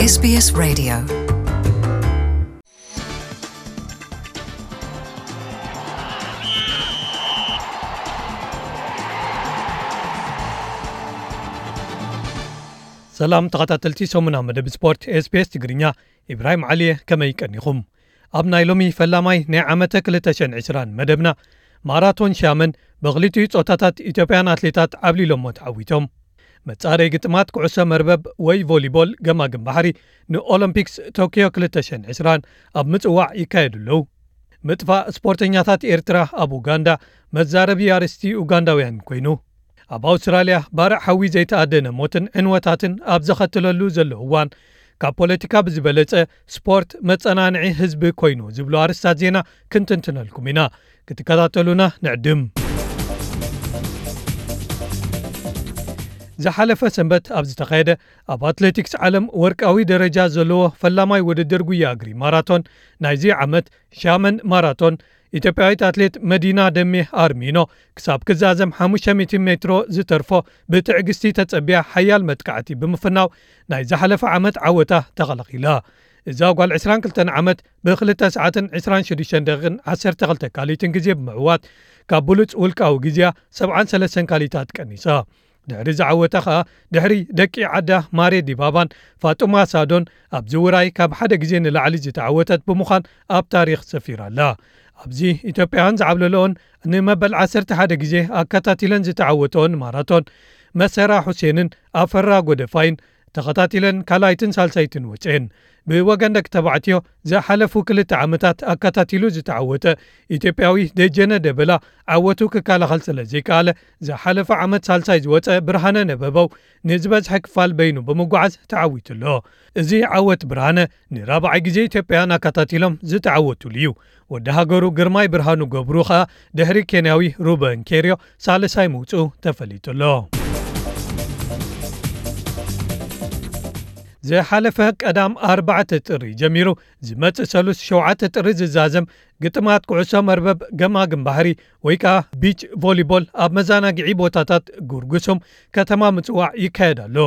SBS Radio. ሰላም ተኸታተልቲ ሰሙና መደብ ስፖርት SBS ትግርኛ፣ ኢብራሂም ዓሊየ፣ ከመይ ቀኒኹም? ኣብ ናይ ሎሚ ፈላማይ ናይ ዓመተ ክልተ ሽሕን ዕስራን መደብና፣ ማራቶን ሻመን ብኽልቲኡ ጾታታት ኢትዮጵያን ኣትሌታት ዓብሊሎሞ ተዓዊቶም። መጻረይ ግጥማት ኩዕሶ መርበብ ወይ ቮሊቦል ገማግም ባሕሪ ንኦሎምፒክስ ቶኪዮ ክልተ ሽሕን ዕስራን ኣብ ምጽዋዕ ይካየዱ ኣለዉ። ምጥፋእ ስፖርተኛታት ኤርትራ ኣብ ኡጋንዳ መዛረቢ ኣርእስቲ ኡጋንዳውያን ኮይኑ። ኣብ ኣውስትራልያ ባርዕ ሓዊ ዘይተኣደነ ሞትን ዕንወታትን ኣብ ዘኸትለሉ ዘሎ እዋን፣ ካብ ፖለቲካ ብዝበለጸ ስፖርት መጸናንዒ ህዝቢ ኮይኑ ዝብሉ ኣርእስታት ዜና ክንትንትነልኩም ኢና። ክትከታተሉና ንዕድም። ዝሓለፈ ሰንበት ኣብ ዝተኻየደ ኣብ ኣትሌቲክስ ዓለም ወርቃዊ ደረጃ ዘለዎ ፈላማይ ውድድር ጉያ እግሪ ማራቶን ናይዚ ዓመት ሻመን ማራቶን፣ ኢትዮጵያዊት ኣትሌት መዲና ደሜ ኣርሚኖ ክሳብ ክዛዘም ሓሙሽተ ሚእቲ ሜትሮ ዝተርፎ ብትዕግስቲ ተጸቢያ ሓያል መጥቃዕቲ ብምፍናው ናይ ዝሓለፈ ዓመት ዓወታ ተኸላኺላ። እዛ ጓል ዕስራን ክልተን ዓመት ብክልተ ሰዓትን ዕስራን ሽዱሽተን ደቂቕን ዓሰርተ ክልተ ካሊትን ግዜ ብምዕዋት ካብ ብሉጽ ውልቃዊ ግዜያ ሰብዓን ሰለስተን ካሊታት ቀኒሳ። ድሕሪ ዝዓወታ ኸኣ ድሕሪ ደቂ ዓዳ ማሬ ዲባባን ፋጡማ ሳዶን ኣብዚ ውራይ ካብ ሓደ ግዜ ንላዕሊ ዝተዓወተት ብምዃን ኣብ ታሪኽ ሰፊራ ኣላ። ኣብዚ ኢትዮጵያውያን ዝዓብለለኦን ንመበል ዓሰርተ ሓደ ግዜ ኣከታቲለን ዝተዓወተኦን ማራቶን መሰራ ሁሴንን ኣፈራ ጎደፋይን ተኸታቲለን ካልኣይትን ሳልሳይትን ወጽኤን። ብወገን ደቂ ተባዕትዮ ዝሓለፉ ክልተ ዓመታት ኣከታቲሉ ዝተዓወተ ኢትዮጵያዊ ደጀነ ደበላ ዓወቱ ክከላኸል ስለ ዘይከኣለ፣ ዝሓለፈ ዓመት ሳልሳይ ዝወጸ ብርሃነ ነበበው ንዝበዝሐ ክፋል በይኑ ብምጓዓዝ ተዓዊቱ ኣሎ። እዚ ዓወት ብርሃነ ንራብዓይ ግዜ ኢትዮጵያውያን ኣከታቲሎም ዝተዓወቱሉ እዩ። ወዲ ሃገሩ ግርማይ ብርሃኑ ገብሩ ኸኣ ድሕሪ ኬንያዊ ሩበን ኬርዮ ሳልሳይ ምውጽኡ ተፈሊጡ ኣሎ። ዝሓለፈ ቀዳም ኣርባዕተ ጥሪ ጀሚሩ ዝመጽእ ሰሉስ ሸውዓተ ጥሪ ዝዛዘም ግጥማት ኩዕሶ መርበብ ገማግም ባሕሪ ወይ ከኣ ቢች ቮሊቦል ኣብ መዘናግዒ ቦታታት ጉርጉሱም ከተማ ምጽዋዕ ይካየድ ኣሎ።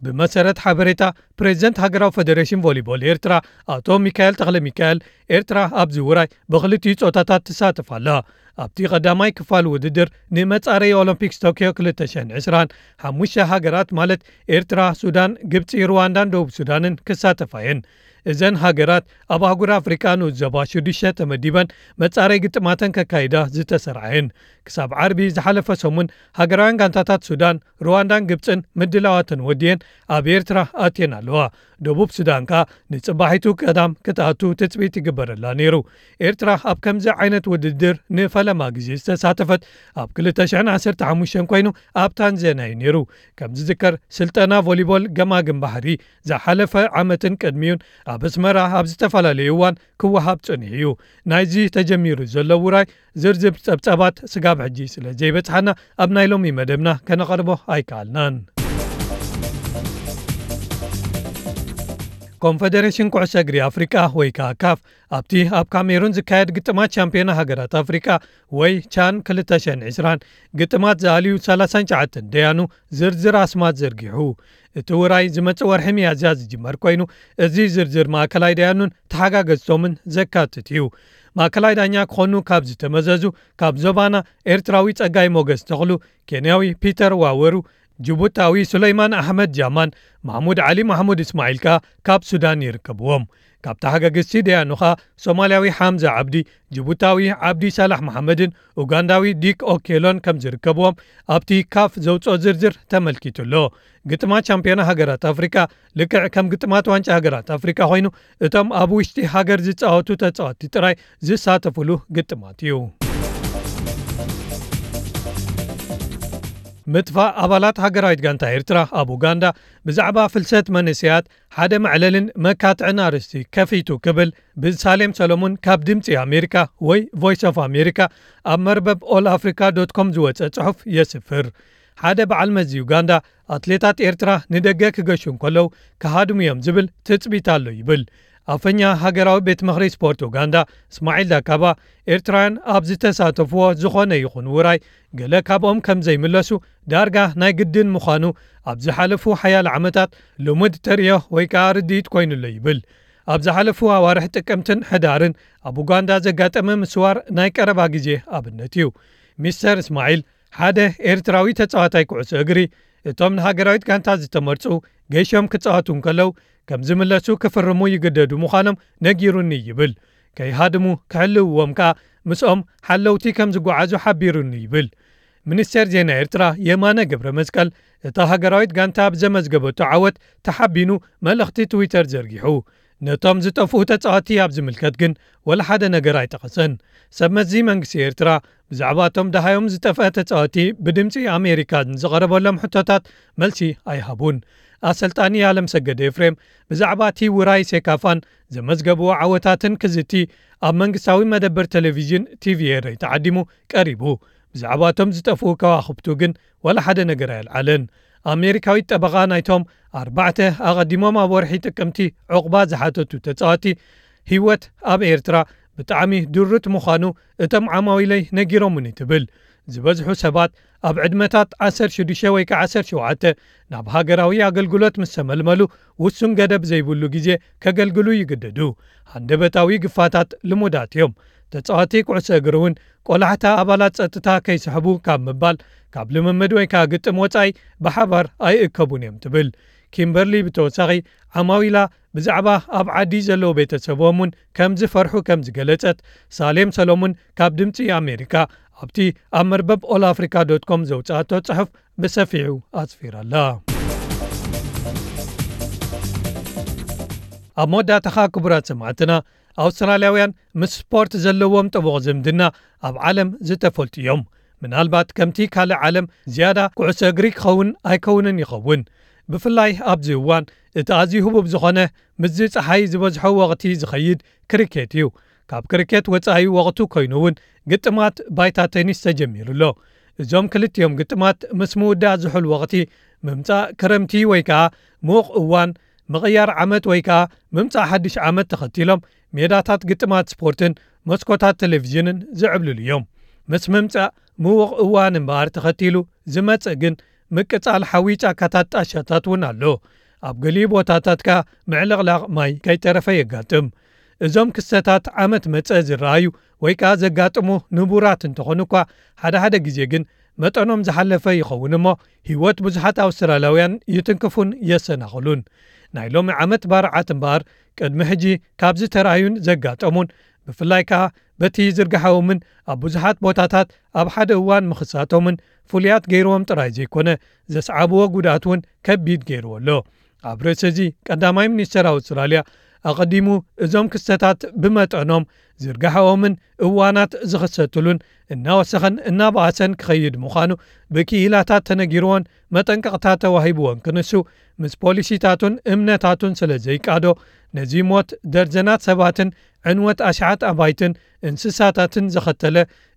ብመሰረት ሓበሬታ ፕሬዚደንት ሃገራዊ ፈደሬሽን ቮሊቦል ኤርትራ ኣቶ ሚካኤል ተኽለ ሚካኤል፣ ኤርትራ ኣብዚ ውራይ ብኽልቲኡ ጾታታት ትሳተፍ ኣላ። ኣብቲ ቀዳማይ ክፋል ውድድር ንመጻረዪ ኦሎምፒክስ ቶኪዮ ክልተ ሽሕን ዕስራን ሓሙሽተ ሃገራት ማለት ኤርትራ፣ ሱዳን፣ ግብጺ፣ ሩዋንዳን ደቡብ ሱዳንን ክሳተፋ እየን። እዘን ሃገራት ኣብ ኣህጉር ኣፍሪቃ ንኡስ ዞባ ሽዱሽተ ተመዲበን መጻረዪ ግጥማተን ከካይዳ ዝተሰርዓ እየን። ክሳብ ዓርቢ ዝሓለፈ ሰሙን ሃገራውያን ጋንታታት ሱዳን፣ ሩዋንዳን ግብጽን ምድላዋተን ወዲየን ኣብ ኤርትራ ኣትየን ኣለዋ። ደቡብ ሱዳን ከኣ ንጽባሒቱ ቀዳም ክትኣቱ ትጽቢት ይግበረላ ነይሩ። ኤርትራ ኣብ ከምዚ ዓይነት ውድድር ንፈለማ ግዜ ዝተሳተፈት ኣብ ክልተ ሽሕን ዓሰርተ ሓሙሽተን ኮይኑ ኣብ ታንዛንያ እዩ ነይሩ። ከም ዝዝከር ስልጠና ቮሊቦል ገማግም ባሕሪ ዝሓለፈ ዓመትን ቅድሚኡን ኣብ ኣስመራ ኣብ ዝተፈላለዩ እዋን ክወሃብ ጸኒሑ እዩ። ናይዚ ተጀሚሩ ዘሎ ውራይ ዝርዝር ጸብጻባት ስጋብ ሕጂ ስለ ዘይበጽሓና ኣብ ናይ ሎሚ መደብና ከነቐርቦ ኣይከኣልናን። ኮንፈደሬሽን ኩዕሶ እግሪ ኣፍሪቃ ወይ ከኣ ካፍ ኣብቲ ኣብ ካሜሩን ዝካየድ ግጥማት ሻምፒዮና ሃገራት ኣፍሪቃ ወይ ቻን ክልተ ሽሕን ዕስራን ግጥማት ዝኣልዩ ሰላሳን ትሽዓተን ደያኑ ዝርዝር ኣስማት ዘርጊሑ። እቲ ውራይ ዝመጽእ ወርሒ ሚያዝያ ዝጅመር ኮይኑ፣ እዚ ዝርዝር ማእከላይ ደያኑን ተሓጋገዝቶምን ዘካትት እዩ። ማእከላይ ዳኛ ክኾኑ ካብ ዝተመዘዙ ካብ ዞባና ኤርትራዊ ጸጋይ ሞገስ ተኽሉ፣ ኬንያዊ ፒተር ዋወሩ፣ ጅቡታዊ ሱለይማን ኣሕመድ ጃማን፣ ማሕሙድ ዓሊ ማሕሙድ እስማዒል ከኣ ካብ ሱዳን ይርከብዎም። ካብ ተሓጋገዝቲ ደያኑ ኸኣ ሶማልያዊ ሓምዛ ዓብዲ፣ ጅቡታዊ ዓብዲ ሳላሕ መሓመድን ኡጋንዳዊ ዲክ ኦኬሎን ከም ዝርከብዎም ኣብቲ ካፍ ዘውጽኦ ዝርዝር ተመልኪቱ ኣሎ። ግጥማት ሻምፒዮና ሃገራት ኣፍሪቃ ልክዕ ከም ግጥማት ዋንጫ ሃገራት ኣፍሪቃ ኮይኑ፣ እቶም ኣብ ውሽጢ ሃገር ዝጻወቱ ተጻወትቲ ጥራይ ዝሳተፉሉ ግጥማት እዩ። ምጥፋእ ኣባላት ሃገራዊት ጋንታ ኤርትራ ኣብ ኡጋንዳ ብዛዕባ ፍልሰት መንእሰያት ሓደ መዕለልን መካትዕን ኣርእስቲ ከፊቱ ክብል ብሳሌም ሰሎሙን ካብ ድምጺ ኣሜሪካ ወይ ቮይስ ኦፍ ኣሜሪካ ኣብ መርበብ ኦል ኣፍሪካ ዶት ኮም ዝወጸ ጽሑፍ የስፍር። ሓደ በዓል መዚ ዩጋንዳ፣ ኣትሌታት ኤርትራ ንደገ ክገሹ እንከለዉ ክሃድሙ እዮም ዝብል ትጽቢት ኣሎ ይብል። ኣፈኛ ሃገራዊ ቤት ምኽሪ ስፖርት ኡጋንዳ እስማዒል ዳካባ፣ ኤርትራውያን ኣብ ዝተሳተፍዎ ዝኾነ ይኹን ውራይ ገለ ካብኦም ከም ዘይምለሱ ዳርጋ ናይ ግድን ምዃኑ ኣብ ዝሓለፉ ሓያለ ዓመታት ልሙድ ተርእዮ ወይ ከኣ ርድኢት ኮይኑ'ሎ ይብል። ኣብ ዝሓለፉ ኣዋርሕ ጥቅምትን ሕዳርን ኣብ ኡጋንዳ ዘጋጠመ ምስዋር ናይ ቀረባ ግዜ ኣብነት እዩ። ሚስተር እስማዒል፣ ሓደ ኤርትራዊ ተጻዋታይ ኩዕሶ እግሪ፣ እቶም ንሃገራዊት ጋንታ ዝተመርጹ ገይሾም ክጻወቱ እንከለዉ ከም ዝምለሱ ክፍርሙ ይግደዱ ምዃኖም ነጊሩኒ ይብል። ከይሃድሙ ክሕልውዎም ከኣ ምስኦም ሓለውቲ ከም ዝጓዓዙ ሓቢሩኒ ይብል። ሚኒስቴር ዜና ኤርትራ የማነ ገብረ መስቀል፣ እታ ሃገራዊት ጋንታ ብዘመዝገበቶ ዓወት ተሓቢኑ መልእኽቲ ትዊተር ዘርጊሑ። ነቶም ዝጠፍኡ ተጻወትቲ ኣብ ዝምልከት ግን ወላ ሓደ ነገር ኣይጠቐሰን። ሰብ መዚ መንግስቲ ኤርትራ ብዛዕባ እቶም ደሃዮም ዝጠፍአ ተጻወትቲ ብድምጺ ኣሜሪካ ንዝቐረበሎም ሕቶታት መልሲ ኣይሃቡን። ኣሰልጣኒ ኣለምሰገድ ኤፍሬም ብዛዕባ እቲ ውራይ ሴካፋን ዘመዝገብዎ ዓወታትን ክዝቲ ኣብ መንግስታዊ መደበር ቴሌቪዥን ቲቪ ኤረይ ተዓዲሙ ቀሪቡ። ብዛዕባ እቶም ዝጠፍኡ ከዋኽብቱ ግን ዋላ ሓደ ነገር ኣየልዓለን። ኣሜሪካዊት ጠበቓ ናይቶም ኣርባዕተ ኣቐዲሞም ኣብ ወርሒ ጥቅምቲ ዕቑባ ዝሓተቱ ተጻወቲ፣ ህይወት ኣብ ኤርትራ ብጣዕሚ ድሩት ምዃኑ እቶም ዓማዊለይ ነጊሮምኒ ትብል። ዝበዝሑ ሰባት ኣብ ዕድመታት ዓሰርተ ሽዱሽተ ወይ ከዓ ዓሰርተ ሸውዓተ ናብ ሃገራዊ ኣገልግሎት ምስ ተመልመሉ ውሱን ገደብ ዘይብሉ ግዜ ከገልግሉ ይግደዱ። ሃንደበታዊ ግፋታት ልሙዳት እዮም። ተጻዋቲ ኩዕሶ እግሪ እውን ቆላሕታ ኣባላት ጸጥታ ከይስሕቡ ካብ ምባል፣ ካብ ልምምድ ወይ ከኣ ግጥም ወጻኢ ብሓባር ኣይእከቡን እዮም ትብል። ኪምበርሊ ብተወሳኺ ዓማዊላ ብዛዕባ ኣብ ዓዲ ዘለዉ ቤተሰቦም እውን ከም ዝፈርሑ ከም ዝገለጸት ሳሌም ሰሎሙን ካብ ድምጺ ኣሜሪካ ኣብቲ ኣብ መርበብ ኦል ኣፍሪካ ዶት ኮም ዘውጽኣቶ ጽሑፍ ብሰፊሑ ኣስፊራላ። ኣብ መወዳእታኻ ክቡራት ሰማዕትና፣ ኣውስትራልያውያን ምስ ስፖርት ዘለዎም ጥቡቕ ዝምድና ኣብ ዓለም ዝተፈልጡ እዮም። ምናልባት ከምቲ ካልእ ዓለም ዝያዳ ኩዕሶ እግሪ ክኸውን ኣይከውንን ይኸውን። ብፍላይ ኣብዚ እዋን እቲ ኣዝዩ ህቡብ ዝኾነ ምስዚ ጸሓይ ዝበዝሖ ወቕቲ ዝኸይድ ክሪኬት እዩ። ካብ ክሪኬት ወጻኢ ወቕቱ ኮይኑ እውን ግጥማት ባይታ ቴኒስ ተጀሚሩ ኣሎ። እዞም ክልቲኦም ግጥማት ምስ ምውዳእ ዝሑል ወቕቲ፣ ምምጻእ ክረምቲ ወይ ከኣ ምዉቕ እዋን ምቕያር ዓመት ወይ ከኣ ምምጻእ ሓድሽ ዓመት ተኸቲሎም ሜዳታት ግጥማት ስፖርትን መስኮታት ቴሌቪዥንን ዝዕብልሉ እዮም። ምስ ምምጻእ ምዉቕ እዋን እምበኣር ተኸቲሉ ዝመጽእ ግን ምቅጻል ሓዊ ጫካታት ጣሻታት እውን ኣሎ። ኣብ ገሊኡ ቦታታት ከኣ ምዕልቕላቕ ማይ ከይተረፈ የጋጥም። እዞም ክስተታት ዓመት መጸ ዝረኣዩ ወይ ከኣ ዘጋጥሙ ንቡራት እንተኾኑ እኳ፣ ሓደ ሓደ ግዜ ግን መጠኖም ዝሓለፈ ይኸውን እሞ፣ ህይወት ብዙሓት ኣውስትራልያውያን ይትንክፉን የሰናኽሉን። ናይ ሎሚ ዓመት ባርዓት እምበኣር፣ ቅድሚ ሕጂ ካብ ዝተራእዩን ዘጋጠሙን፣ ብፍላይ ከኣ በቲ ዝርግሓዎምን ኣብ ብዙሓት ቦታታት ኣብ ሓደ እዋን ምኽሳቶምን ፍሉያት ገይርዎም ጥራይ ዘይኮነ፣ ዘስዓብዎ ጉድኣት እውን ከቢድ ገይርዎ ኣሎ። ኣብ ርእሲ እዚ፣ ቀዳማይ ሚኒስተር ኣውስትራልያ ኣቐዲሙ እዞም ክስተታት ብመጠኖም ዝርግሓኦምን እዋናት ዝኽሰትሉን እናወሰኸን እናበኣሰን ክኸይድ ምዃኑ ብክኢላታት ተነጊርዎን መጠንቀቕታ ተዋሂብዎን ክንሱ፣ ምስ ፖሊሲታቱን እምነታቱን ስለ ዘይቃዶ፣ ነዚ ሞት ደርዘናት ሰባትን ዕንወት ኣሽሓት ኣባይትን እንስሳታትን ዘኸተለ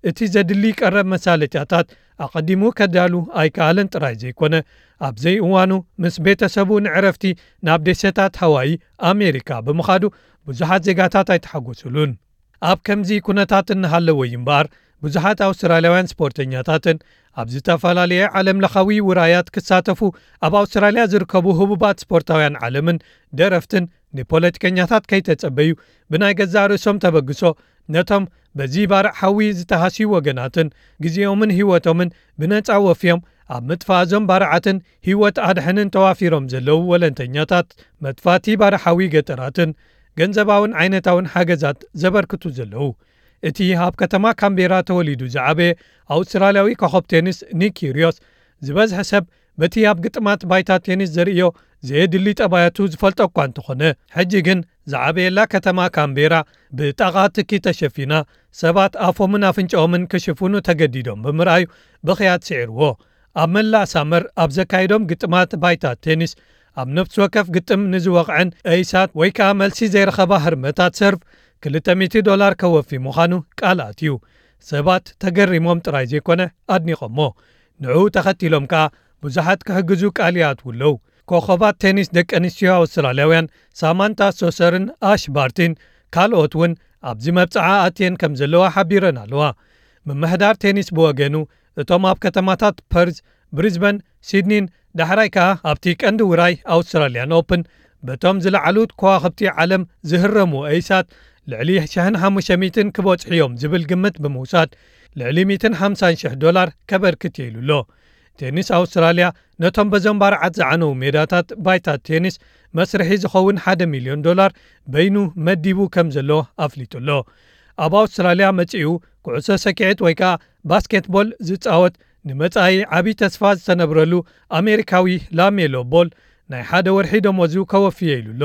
እቲ ዘድሊ ቀረብ መሳለጥያታት ኣቐዲሙ ከዳሉ ኣይከኣለን ጥራይ ዘይኮነ፣ ኣብ ዘይእዋኑ ምስ ቤተሰቡ ንዕረፍቲ ናብ ደሴታት ሃዋይ ኣሜሪካ ብምኻዱ ብዙሓት ዜጋታት ኣይተሓጎሱሉን። ኣብ ከምዚ ኩነታት እናሃለወ እዩ እምበኣር፣ ብዙሓት ኣውስትራልያውያን ስፖርተኛታትን ኣብ ዝተፈላለየ ዓለም ለኻዊ ውራያት ክሳተፉ ኣብ ኣውስትራልያ ዝርከቡ ህቡባት ስፖርታውያን ዓለምን ደረፍትን ንፖለቲከኛታት ከይተጸበዩ ብናይ ገዛእ ርእሶም ተበግሶ ነቶም በዚ ባርዕ ሓዊ ዝተሃስዩ ወገናትን ግዜኦምን ህይወቶምን ብነጻ ወፍዮም ኣብ ምጥፋእ እዞም ባርዓትን ህይወት ኣድሕንን ተዋፊሮም ዘለዉ ወለንተኛታት መጥፋእቲ ባርዕ ሓዊ ገጠራትን ገንዘባውን ዓይነታውን ሓገዛት ዘበርክቱ ዘለዉ። እቲ ኣብ ከተማ ካምቤራ ተወሊዱ ዝዓበየ ኣውስትራልያዊ ኮኸብ ቴኒስ ኒክ ኪርዮስ፣ ዝበዝሐ ሰብ በቲ ኣብ ግጥማት ባይታ ቴኒስ ዘርእዮ ዘየድሊ ጠባያቱ ዝፈልጦ እኳ እንተኾነ፣ ሕጂ ግን ዝዓበየላ ከተማ ካምቤራ ብጣቓ ትኪ ተሸፊና፣ ሰባት ኣፎምን ኣፍንጫኦምን ክሽፍኑ ተገዲዶም ብምርኣዩ ብኽያት ስዒርዎ። ኣብ መላእ ሳመር ኣብ ዘካየዶም ግጥማት ባይታ ቴኒስ፣ ኣብ ነፍሲ ወከፍ ግጥም ንዝወቕዐን ኤይሳት ወይ ከኣ መልሲ ዘይረኸባ ህርመታት ሰርቭ ክልተ ሚእቲ ዶላር ከወፊ ምዃኑ ቃል ኣትዩ። ሰባት ተገሪሞም ጥራይ ዘይኮነ ኣድኒቖሞ። ንዕኡ ተኸቲሎም ከኣ ብዙሓት ክሕግዙ ቃል ይኣትዉ ኣለዉ። ኮኸባት ቴኒስ ደቂ ኣንስትዮ ኣውስትራልያውያን ሳማንታ ሶሰርን ኣሽ ባርቲን ካልኦት እውን ኣብዚ መብጽዓ ኣትየን ከም ዘለዋ ሓቢረን ኣለዋ። ምምሕዳር ቴኒስ ብወገኑ፣ እቶም ኣብ ከተማታት ፐርዝ፣ ብሪዝበን፣ ሲድኒን ዳሕራይ ከኣ ኣብቲ ቀንዲ ውራይ ኣውስትራልያን ኦፕን በቶም ዝለዓሉ ከዋኽብቲ ዓለም ዝህረሙ ኤይሳት ልዕሊ ሽሕን ሓሙሽተ ሚእትን ክበጽሑ እዮም ዝብል ግምት ብምውሳድ፣ ልዕሊ ሚእትን ሓምሳን ሽሕ ዶላር ከበርክት እየ ኢሉ ኣሎ። ቴኒስ ኣውስትራልያ ነቶም በዞም ባርዓት ዝዓነዉ ሜዳታት ባይታ ቴኒስ መስርሒ ዝኸውን ሓደ ሚልዮን ዶላር በይኑ መዲቡ ከም ዘሎ ኣፍሊጡ ኣሎ። ኣብ ኣውስትራልያ መጺኡ ኩዕሶ ሰኪዔት ወይ ከኣ ባስኬትቦል ዝጻወት ንመጻኢ ዓቢ ተስፋ ዝተነብረሉ ኣሜሪካዊ ላሜሎ ቦል ናይ ሓደ ወርሒ ደሞዙ ከወፊ እየ ኢሉ ኣሎ።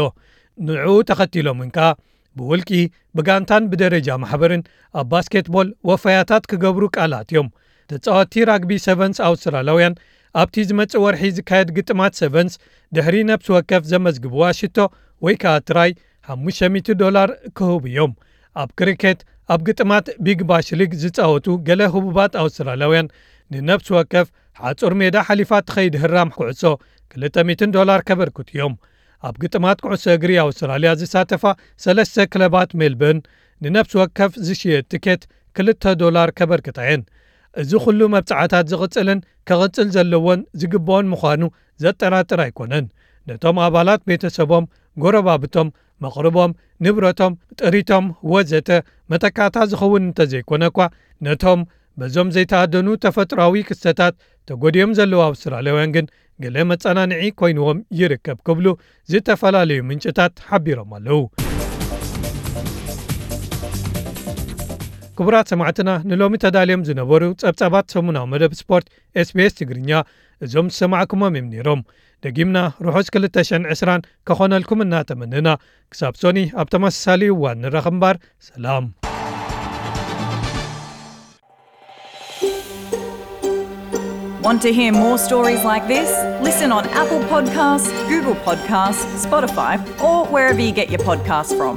ንዕኡ ተኸቲሎም እውን ከኣ ብውልቂ፣ ብጋንታን ብደረጃ ማሕበርን ኣብ ባስኬትቦል ወፈያታት ክገብሩ ቃል ኣትዮም። ተጻወትቲ ራግቢ ሰቨንስ ኣውስትራልያውያን ኣብቲ ዝመጽእ ወርሒ ዝካየድ ግጥማት ሰቨንስ ድሕሪ ነፍሲ ወከፍ ዘመዝግብዋ ሽቶ ወይ ከኣ ትራይ ሓሙሽተ ሚእቲ ዶላር ክህቡ እዮም። ኣብ ክሪኬት ኣብ ግጥማት ቢግ ባሽ ሊግ ዝጻወቱ ገለ ህቡባት ኣውስትራልያውያን ንነፍሲ ወከፍ ሓጹር ሜዳ ሓሊፋ ትኸይድ ህራም ኩዕሶ ክልተ ሚእትን ዶላር ከበርክቱ እዮም። ኣብ ግጥማት ኩዕሶ እግሪ ኣውስትራልያ ዝሳተፋ ሰለስተ ክለባት ሜልበርን ንነፍሲ ወከፍ ዝሽየጥ ትኬት ክልተ ዶላር ከበርክታ እየን። እዚ ኩሉ መብጽዓታት ዝቕጽልን ከቕጽል ዘለዎን ዝግብኦን ምዃኑ ዘጠራጥር ኣይኮነን። ነቶም ኣባላት ቤተሰቦም፣ ጎረባብቶም፣ መቕርቦም፣ ንብረቶም፣ ጥሪቶም ወዘተ መተካእታ ዝኸውን እንተዘይኮነ እኳ፣ ነቶም በዞም ዘይተኣደኑ ተፈጥሮኣዊ ክስተታት ተጎዲኦም ዘለዉ ኣውስትራልያውያን ግን ገለ መጸናንዒ ኮይንዎም ይርከብ ክብሉ ዝተፈላለዩ ምንጭታት ሓቢሮም ኣለዉ። ክቡራት ሰማዕትና፣ ንሎሚ ተዳልዮም ዝነበሩ ጸብጻባት ሰሙናዊ መደብ ስፖርት ኤስቢኤስ ትግርኛ እዞም ዝሰማዕኩሞም እዮም ነይሮም። ደጊምና ርሑስ ክልተ ሽሕን ዕስራን ከኾነልኩም እናተመነና፣ ክሳብ ሶኒ ኣብ ተመሳሳሊ እዋን ንራኸብ እምበር፣ ሰላም። Want to hear more stories like this? Listen on Apple Podcasts, Google Podcasts, Spotify, or wherever you get your podcasts from.